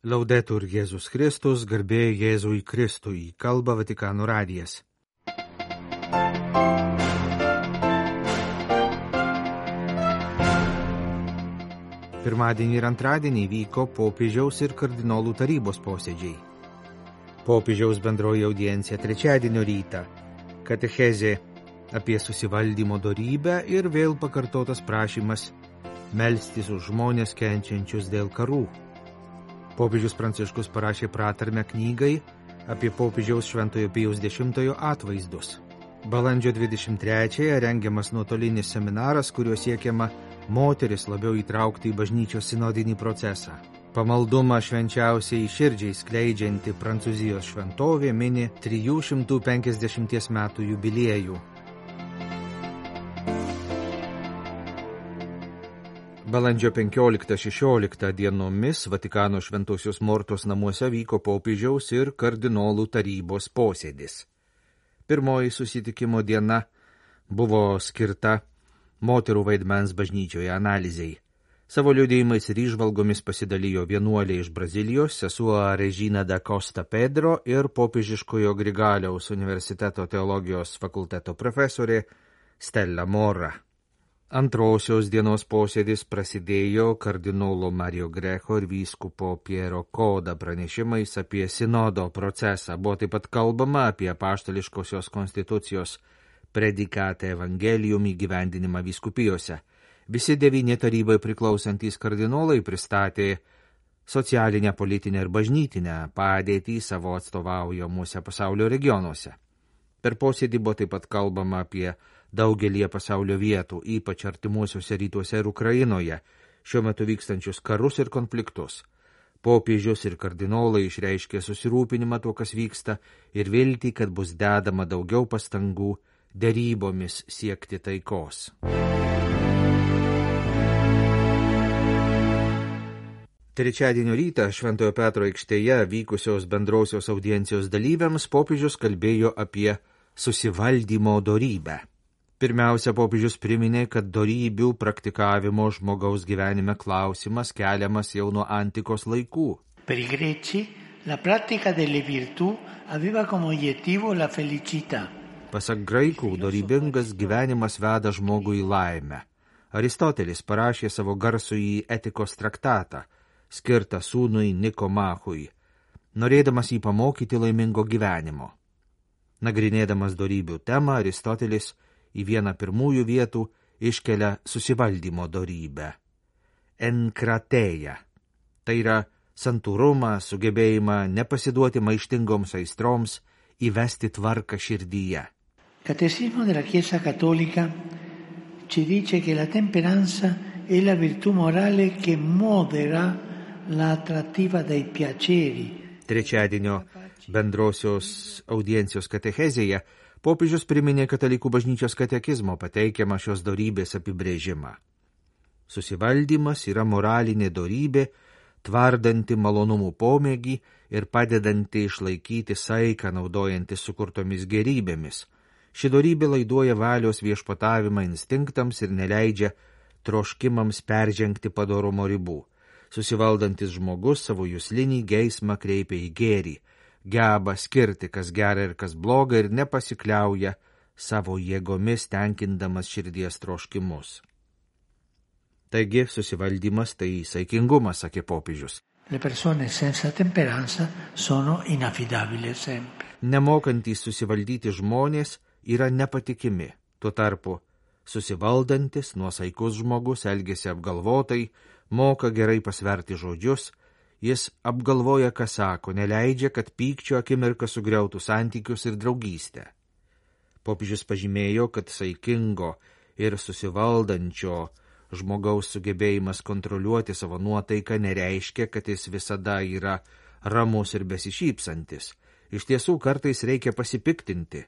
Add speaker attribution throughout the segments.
Speaker 1: Laudetur Jėzus Kristus, garbė Jėzui Kristui, kalba Vatikano radijas. Pirmadienį ir antradienį vyko popiežiaus ir kardinolų tarybos posėdžiai. Popiežiaus bendroji audiencija trečiadienio rytą, katechezė apie susivaldymo dorybę ir vėl pakartotas prašymas melstis už žmonės kenčiančius dėl karų. Popiežius Pranciškus parašė pratarmę knygai apie popiežiaus Šventojo Pijaus X atvaizdus. Balandžio 23-ąją rengiamas nuotolinis seminaras, kuriuo siekiama moteris labiau įtraukti į bažnyčios sinodinį procesą. Pamaldumą švenčiausiai širdžiai skleidžianti Prancūzijos šventovė mini 350 metų jubiliejų. Balandžio 15-16 dienomis Vatikano Šventosios Mortos namuose vyko popiežiaus ir kardinolų tarybos posėdis. Pirmoji susitikimo diena buvo skirta moterų vaidmens bažnyčioje analizei. Savo liudijimais ir įžvalgomis pasidalijo vienuolė iš Brazilijos, sesuo Regina da Costa Pedro ir popiežiškojo Grigaliaus universiteto teologijos fakulteto profesorė Stella Mora. Antrosios dienos posėdis prasidėjo kardinolo Mario Greco ir vyskupo Piero Coda pranešimais apie sinodo procesą. Buvo taip pat kalbama apie apaštališkosios konstitucijos predikatą evangelium įgyvendinimą vyskupijose. Visi 9 tarybai priklausantys kardinolai pristatė socialinę, politinę ir bažnytinę padėtį savo atstovaujamuose pasaulio regionuose. Per posėdį buvo taip pat kalbama apie daugelį pasaulio vietų, ypač artimuosiuose rytuose ir Ukrainoje, šiuo metu vykstančius karus ir konfliktus. Popiežius ir kardinolai išreiškė susirūpinimą tuo, kas vyksta, ir viltį, kad bus dedama daugiau pastangų derybomis siekti taikos. Trečiadienio rytą Šventojo Petro aikštėje vykusios bendrausios audiencijos dalyviams popiežius kalbėjo apie susivaldymo dorybę. Pirmiausia, popiežius priminė, kad dorybių praktikavimo žmogaus gyvenime klausimas keliamas jau nuo antikos laikų.
Speaker 2: Per i greci, la pratica delle virtù aveva come obiettivo la felicità.
Speaker 1: Pasak graikų, dorybingas gyvenimas veda žmogų į laimę. Aristotelis parašė savo garsųjį etikos traktatą, skirtą sūnui Nikomachui, norėdamas jį pamokyti laimingo gyvenimo. Nagrinėdamas dorybių temą, Aristotelis į vieną pirmųjų vietų iškelia susivaldymo dorybę. Enkrateja. Tai yra santūrumą, sugebėjimą nepasiduoti maištingoms aistroms, įvesti tvarką širdyje.
Speaker 2: Catecismo della Chiesa Cattolica ci dice che la temperanza è la virtù morale che modera l'attrattiva dei piaceri.
Speaker 1: Trečiadienio bendrosios audiencijos katechezėje popiežius priminė katalikų bažnyčios katekizmo pateikiamą šios dorybės apibrėžimą. Susivaldymas yra moralinė dorybė, tvardanti malonumų pomėgį ir padedanti išlaikyti saiką naudojantis sukurtomis gerybėmis. Ši dorybė laiduoja valios viešpatavimą instinktams ir neleidžia troškimams peržengti padorumo ribų. Susivaldantis žmogus savo juslinį geismą kreipia į gėrį, geba skirti, kas gera ir kas bloga, ir nepasikliauja savo jėgomis tenkindamas širdies troškimus. Taigi, susivaldymas tai saikingumas, sakė popiežius.
Speaker 2: Le persone senza temperanza sono inaffidabili sempre.
Speaker 1: Nemokantys susivaldyti žmonės yra nepatikimi. Tuo tarpu, susivaldantis, nuosaikus žmogus elgiasi apgalvotai, moka gerai pasverti žodžius, jis apgalvoja, ką sako, neleidžia, kad pykčio akimirka sugriautų santykius ir draugystę. Popiežius pažymėjo, kad saikingo ir susivaldančio žmogaus sugebėjimas kontroliuoti savo nuotaiką nereiškia, kad jis visada yra ramus ir besišypsantis. Iš tiesų, kartais reikia pasipiktinti,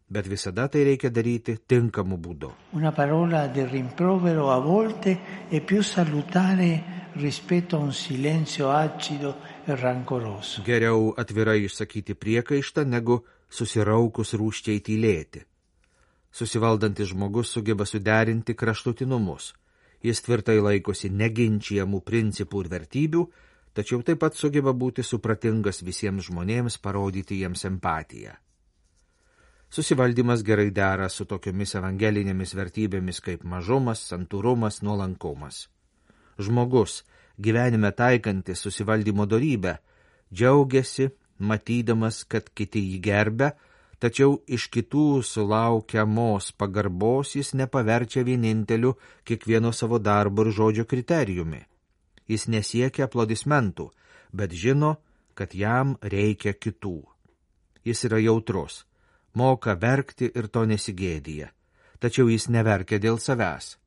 Speaker 1: bet visada tai reikia daryti tinkamu būdu.
Speaker 2: Una parola di rimprovero a volte è più salutare rispetto a un silenzio acido e rancoroso.
Speaker 1: Geriau atvirai išsakyti priekaištą, negu susiraukus rūsčiai tylėti. Susivaldantis žmogus sugeba suderinti kraštutinumus. Jis tvirtai laikosi neginčijamų principų ir vertybių, tačiau taip pat sugeba būti supratingas visiems žmonėms, parodyti jiems empatiją. Susivaldymas gerai dera su tokiomis evangelinėmis vertybėmis kaip mažumas, santūrumas, nuolankumas. Žmogus, gyvenime taikantis susivaldymo dorybę, džiaugiasi, matydamas, kad kiti jį gerbia, tačiau iš kitų sulaukiamos pagarbos jis nepaverčia vieninteliu kiekvieno savo darbo ir žodžio kriterijumi. Jis nesiekia aplodismentų, bet žino, kad jam reikia kitų. Jis yra jautrus, moka verkti ir to nesigėdija, tačiau jis neverkia dėl savęs.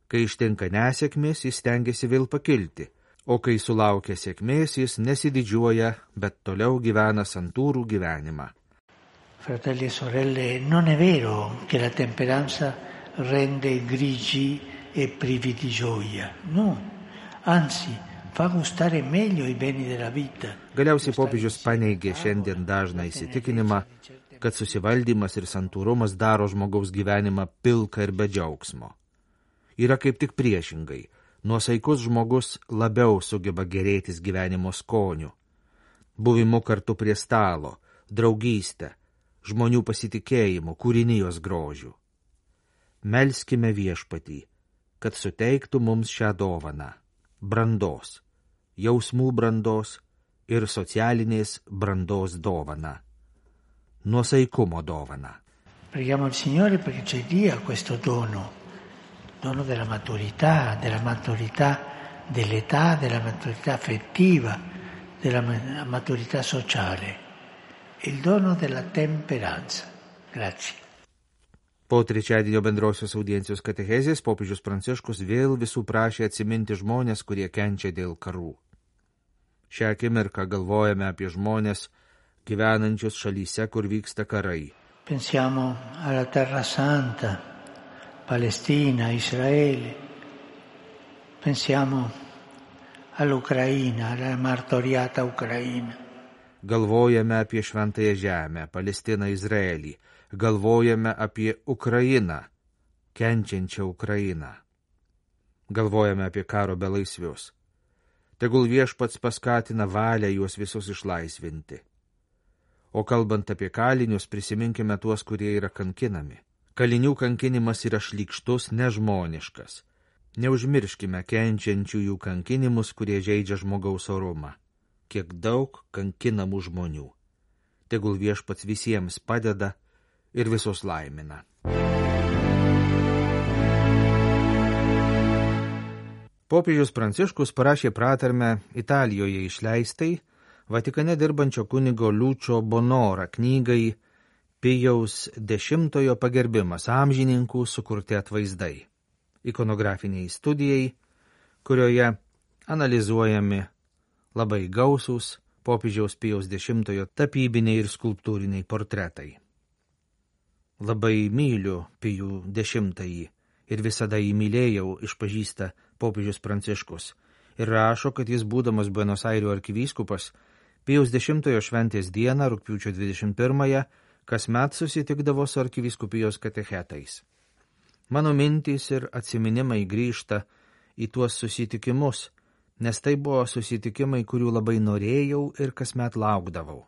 Speaker 1: Kai ištinka nesėkmės, jis stengiasi vėl pakilti, o kai sulaukia sėkmės, jis nesididžiuoja, bet toliau gyvena santūrų gyvenimą.
Speaker 2: Fratelli e sorelle, non è vero che la temperanza rende grigi e privi di gioia. No, anzi, fa gustare meglio i beni della vita.
Speaker 1: Galiausiai popiežius paneigė šiandien dažną įsitikinimą, kad susivaldymas ir santūrumas daro žmogaus gyvenimą pilką ir be džiaugsmo. Yra kaip tik priešingai. Nuosaikus žmogus labiau sugeba gerėtis gyvenimo skoniu, buvimu kartu prie stalo, draugystę, žmonių pasitikėjimu, kūrinijos grožiu. Melskime Viešpatį, kad suteiktų mums šią dovaną – brandos, jausmų brandos ir socialinės brandos dovaną, nuosaikumo dovaną.
Speaker 2: Preghiamo il Signore perché ci dia questo dono della maturità, dell'età, della maturità affettiva, della maturità sociale, il dono della temperanza. Grazie.
Speaker 1: Po trečiadienio bendrosios audiencijos katechezės popiežius Pranciškus vėl visų prašė atsiminti žmonės, kurie kenčia dėl karų. Šią akimirką galvojame apie žmonės gyvenančius šalyse, kur vyksta karai.
Speaker 2: Pensiamo alla Terra Santa, Palestina, Israele. Pensiamo all'Ucraina, alla martoriata Ucraina.
Speaker 1: Galvojame apie šventąją žemę, Palestiną, Izraelį. Galvojame apie Ukrainą, kenčiančią Ukrainą. Galvojame apie karo belaisvius. Tegul Viešpats paskatina valią juos visus išlaisvinti. O kalbant apie kalinius, prisiminkime tuos, kurie yra kankinami. Kalinių kankinimas yra šlykštus, nežmoniškas. Neužmirškime kenčiančiųjų kankinimus, kurie žeidžia žmogaus orumą. Kiek daug kankinamų žmonių. Tegul Viešpats visiems padeda ir visus laimina. Popiežius Pranciškus parašė pratarmę Italijoje išleistai Vatikane dirbančio kunigo Liučio Bonora knygai Pijaus X pagerbimas amžininkų sukurti atvaizdai, ikonografiniai studijai, kurioje analizuojami labai gausūs popiežiaus Pijaus X tapybiniai ir skulptūriniai portretai. Labai myliu Pijų X ir visada jį mylėjau, išpažįsta popiežius Pranciškus ir rašo, kad jis būdamas Buenos Airių arkivyskupas Pijaus X šventės dieną, rugpjūčio 21, kasmet susitikdavo su arkivyskupijos katechetais. Mano mintys ir atsiminimai grįžta į tuos susitikimus, nes tai buvo susitikimai, kurių labai norėjau ir kasmet laukdavau.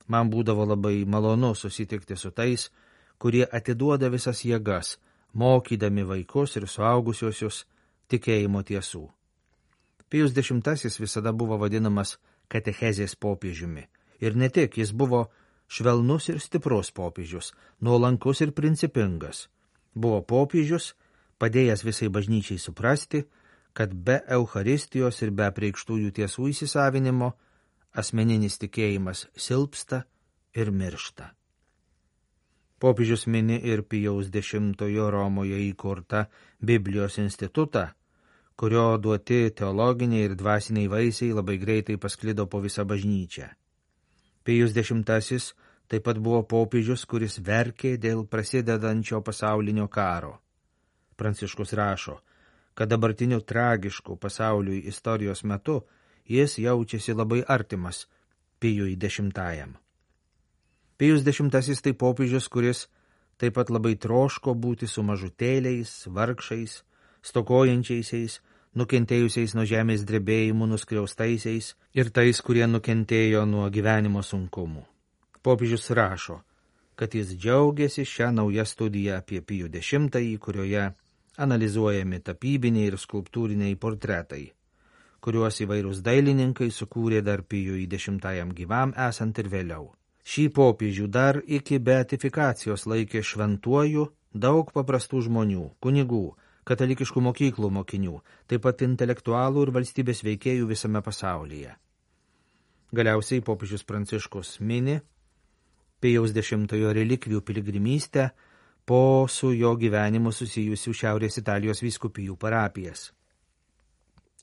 Speaker 1: Man būdavo labai malonu susitikti su tais, kurie atiduoda visas jėgas, mokydami vaikus ir suaugusiosius tikėjimo tiesų. Pijus X visada buvo vadinamas katechezės popiežiumi. Ir ne tik, jis buvo švelnus ir stiprus popiežius, nuolankus ir principingas. Buvo popiežius, padėjęs visai bažnyčiai suprasti, kad be Eucharistijos ir be apreikštųjų tiesų įsisavinimo asmeninis tikėjimas silpsta ir miršta. Popiežius mini ir Pijaus X Romoje įkurtą Biblijos institutą, kurio duoti teologiniai ir dvasiniai vaisiai labai greitai pasklido po visą bažnyčią. Pijus X taip pat buvo popiežius, kuris verkė dėl prasidedančio pasaulinio karo. Pranciškus rašo, kad dabartiniu tragišku pasauliui istorijos metu jis jaučiasi labai artimas Pijui X. Pijus X tai popiežius, kuris taip pat labai troško būti su mažutėliais, vargšais, stokojančiaisiais, nukentėjusiais nuo žemės drebėjimų nuskriaustaisiais ir tais, kurie nukentėjo nuo gyvenimo sunkumų. Popiežius rašo, kad jis džiaugiasi šią naują studiją apie Pijų X, kurioje analizuojami tapybiniai ir skulptūriniai portretai, kuriuos įvairūs dailininkai sukūrė dar Pijui X gyvam esant ir vėliau. Šį popiežių dar iki beatifikacijos laikė šventuoju daug paprastų žmonių, kunigų, katalikiškų mokyklų mokinių, taip pat intelektualų ir valstybės veikėjų visame pasaulyje. Galiausiai popiežius Pranciškus mini Pijaus X relikvijų piligrimystę po su jo gyvenimu susijusių Šiaurės Italijos vyskupijų parapijas.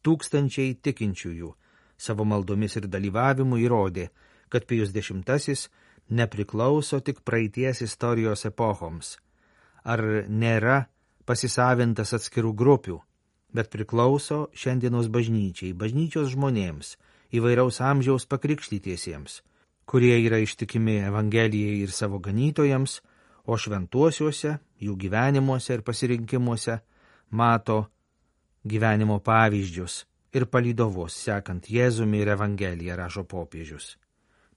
Speaker 1: Tūkstančiai tikinčiųjų savo maldomis ir dalyvavimu įrodė, kad Pijus X nepriklauso tik praeities istorijos epochoms, ar nėra pasisavintas atskirų grupių, bet priklauso šiandienos bažnyčiai, bažnyčios žmonėms, įvairaus amžiaus pakrikštytiesiems, kurie yra ištikimi Evangelijai ir savo ganytojams, o šventuosiuose, jų gyvenimuose ir pasirinkimuose mato gyvenimo pavyzdžius ir palydovus sekant Jėzumi ir Evangeliją, rašo popiežius.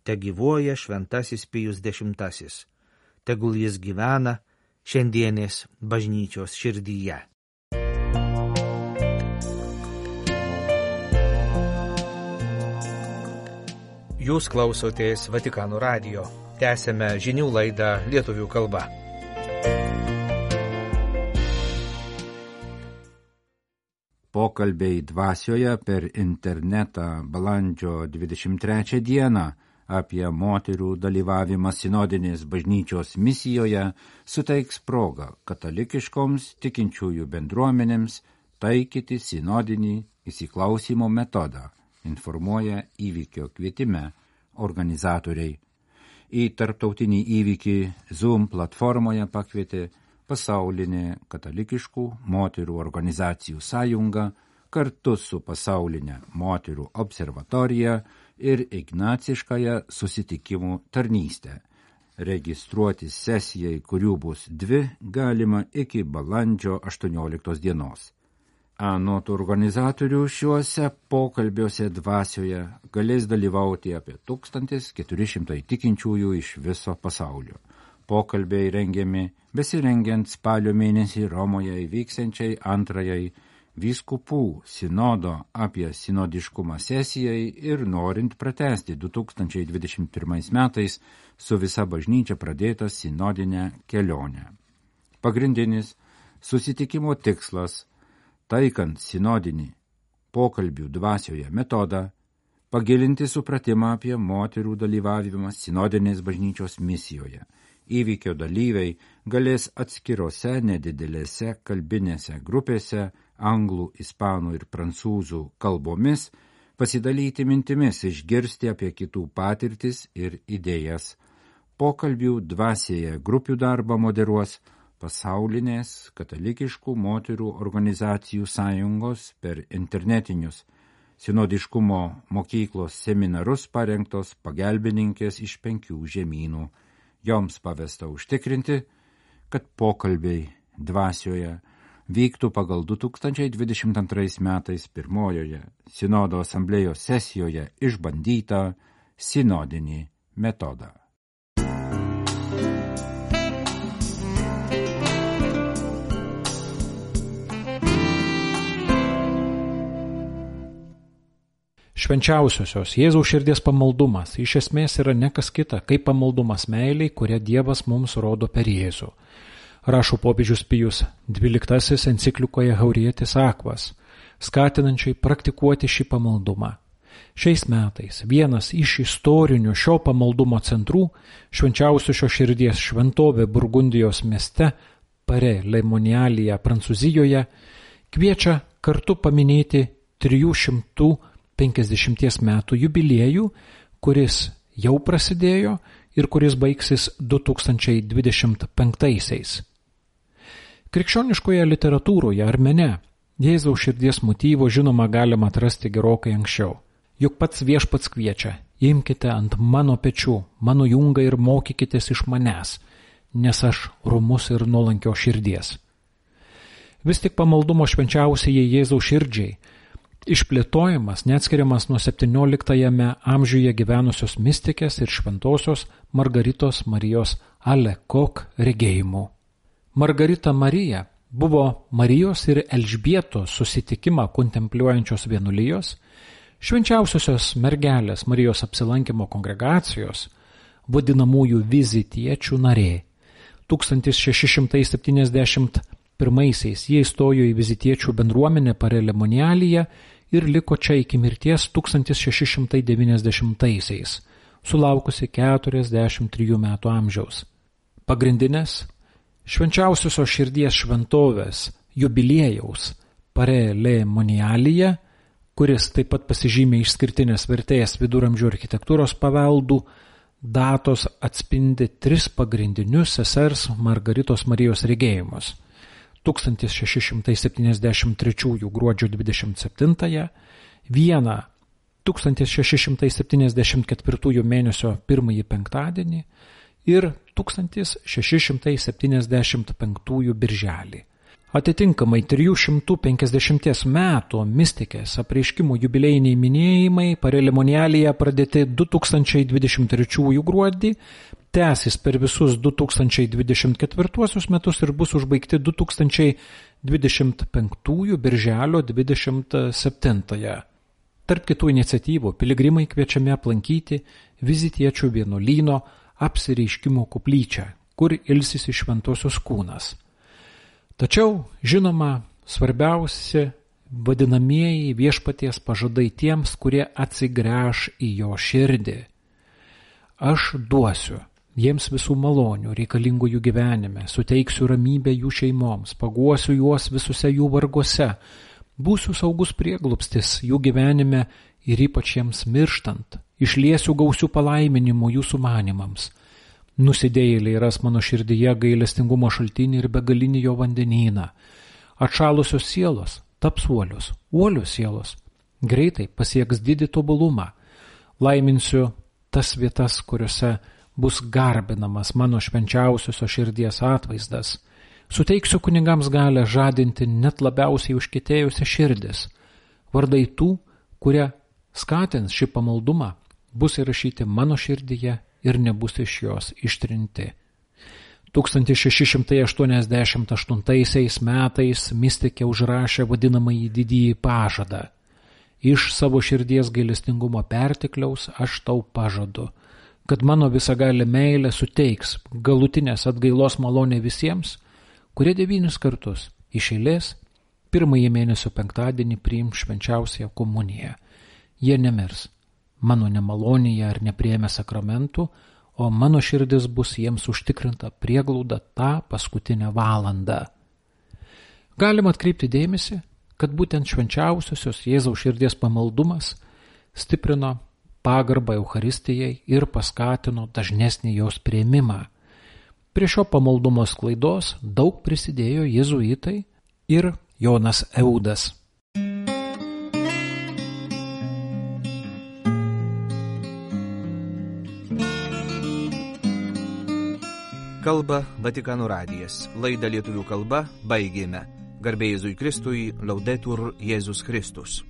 Speaker 1: Te gyvuoja šventasis Pijus X, tegul jis gyvena šiandienės bažnyčios širdyje. Jūs klausotės Vatikano radijo. Tęsėme žinių laidą lietuvių kalba.
Speaker 3: Pokalbiai dvasioje per internetą balandžio 23 dieną apie moterų dalyvavimą sinodinės bažnyčios misijoje suteiks progą katalikiškoms tikinčiųjų bendruomenėms taikyti sinodinį įsiklausymo metodą, informuoja įvykio kvietime organizatoriai. Į tarptautinį įvykį Zoom platformoje pakvietė pasaulinė katalikiškų moterų organizacijų sąjunga kartu su pasaulinė moterų observatorija ir ignaciškąją susitikimų tarnystę. Registruoti sesijai, kurių bus 2, galima iki balandžio 18 dienos. Anot organizatorių šiuose pokalbiuose dvasioje galės dalyvauti apie 1400 tikinčiųjų iš viso pasaulio. Pokalbiai rengiami besirengiant spalio mėnesį Romoje įvyksiančiai antrajai vyskupų sinodo apie sinodiškumą sesijai ir norint pratęsti 2021 metais su visa bažnyčia pradėtą sinodinę kelionę. Pagrindinis susitikimo tikslas, taikant sinodinį pokalbių dvasioje metodą, pagilinti supratimą apie moterų dalyvavimą sinodinės bažnyčios misijoje. Įvykio dalyviai galės atskirose nedidelėse kalbinėse grupėse anglų, ispanų ir prancūzų kalbomis pasidalyti mintimis, išgirsti apie kitų patirtis ir idėjas. Pokalbių dvasioje grupių darbą moderuos pasaulinės katalikiškų moterų organizacijų sąjungos per internetinius sinodiškumo mokyklos seminarus parengtos pagalbininkės iš 5 žemynų. Joms pavesta užtikrinti, kad pokalbiai dvasioje vyktų pagal 2022 metais pirmojoje sinodo asamblėjos sesijoje išbandytą sinodinį metodą.
Speaker 4: Švenčiausiosios Jėzaus širdies pamaldumas iš esmės yra ne kas kita, kaip pamaldumas meiliai, kurią Dievas mums rodo per Jėzų. Rašo popiežius Pijus XII enciklikoje Haurietis Aquas, skatinančiai praktikuoti šį pamaldumą. Šiais metais vienas iš istorinių šio pamaldumo centrų, švenčiausiosios širdies šventovė Burgundijos mieste, Pare Lemonialyje, Prancūzijoje, kviečia kartu paminėti 350 metų jubiliejų, kuris jau prasidėjo ir kuris baigsis 2025-aisiais. Krikščioniškoje literatūroje ar mene Jėzaus širdies motyvo žinoma galima atrasti gerokai anksčiau. Juk pats Viešpats kviečia: imkite ant mano pečių, mano jungą ir mokykitės iš manęs, nes aš romus ir nuolankio širdies. Vis tik pamaldumo švenčiausiai Jėzaus širdžiai išplėtojimas neatskiriamas nuo 17 amžiuje gyvenusios mistikės ir šventosios Margaritos Marijos Alekok regėjimų. Margarita Marija buvo Marijos ir Elžbietos susitikimą kontempliuojančios vienuolijos, švenčiausiosios mergelės Marijos apsilankymo kongregacijos, vadinamųjų vizitiečių narė. 1671 jie įstojo į vizitiečių bendruomenę Parelemonialyje ir liko čia iki mirties 1690, sulaukusi 43 metų amžiaus. Pagrindinės švenčiausiosios širdies šventovės jubiliejaus Parelemonialyje, kuris taip pat pasižymė išskirtinės vertės viduramžių architektūros paveldų, datos atspindi 3 pagrindinius sesers Margaritos Marijos regėjimus. 1673 gruodžio 27, vieną 1674 mėnesio 1 penktadienį ir 1675 birželį. Atitinkamai 350 metų mistikės apreiškimų jubiliejiniai minėjimai Parelemonialyje pradėti 2023 gruodį, tęsis per visus 2024 metus ir bus užbaigti 2025 birželio 27. Tarp kitų iniciatyvų piligrimai kviečiami aplankyti vizitiečių vienuolyno apsireiškimo koplyčią, kur ilsisi šventosios kūnas. Tačiau, žinoma, svarbiausi vadinamieji viešpaties pažadai tiems, kurie atsigręš į jo širdį. Aš duosiu jiems visų malonių reikalingų jų gyvenime, suteiksiu ramybę jų šeimoms, paguosiu juos visose jų varguose, būsiu saugus prieglobstis jų gyvenime ir ypač jiems mirštant, išliesiu gausių palaiminimų jų sumanimams. Nusidėjėliai ras mano širdyje gailestingumo šaltinį ir begalinį jo vandenyną. Atšalusios sielos taps uolios, uolios sielos. Greitai pasieks didį tobulumą. Laiminsiu tas vietas, kuriuose bus garbinamas mano švenčiausiosios širdies atvaizdas. Suteiksiu kunigams galę žadinti net labiausiai užkietėjusią širdis. Vardai tų, kurie skatins šį pamaldumą, bus įrašyti mano širdyje ir nebus iš jos ištrinti. 1688 metais mistikė užrašė vadinamąjį didįjį pažadą. Iš savo širdies gailestingumo pertekliaus aš tau pažadu, kad mano visagalė meilė suteiks galutinės atgailos malonę visiems, kurie 9 kartus iš eilės 1 mėnesio penktadienį priims švenčiausiąją komuniją. Jie nemirs mano nemalonėje ar nepriėmę sakramentų, o mano širdis bus jiems užtikrinta prieglauda tą paskutinę valandą. Galima atkreipti dėmesį, kad būtent švenčiausiosios Jėzaus širdies pamaldumas stiprino pagarbą Eucharistijai ir paskatino dažnesnį jos priėmimą. Prie šio pamaldumo sklaidos daug prisidėjo jėzuitai ir Jonas Eudas.
Speaker 1: Kalba Vatikano radijas. Laidą lietuvių kalba baigėme. Garbė Jėzui Kristui, Laudetur Jėzus Kristus.